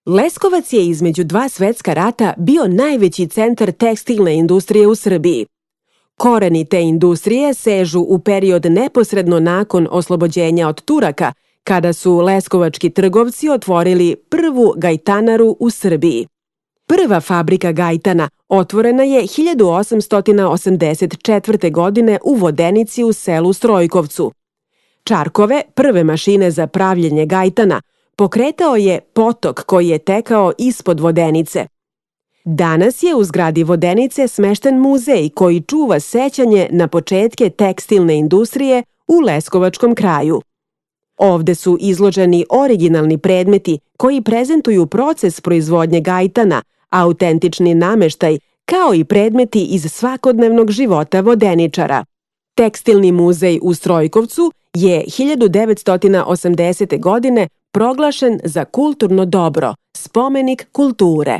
Leskovac je između dva svetska rata bio najveći centar tekstilne industrije u Srbiji. Koreni te industrije sežu u period neposredno nakon oslobođenja od Turaka, kada su leskovački trgovci otvorili prvu gajtanaru u Srbiji. Prva fabrika gajtana otvorena je 1884. godine u Vodenici u selu Strojkovcu. Čarkove, prve mašine za pravljenje gajtana, pokretao je potok koji je tekao ispod Vodenice. Danas je u zgradi Vodenice smešten muzej koji čuva sećanje na početke tekstilne industrije u leskovačkom kraju. Ovde su izloženi originalni predmeti koji prezentuju proces proizvodnje gajtana, autentični nameštaj, kao i predmeti iz svakodnevnog života vodeničara. Tekstilni muzej u Strojkovcu je 1980. godine proglašen za kulturno dobro, spomenik kulture.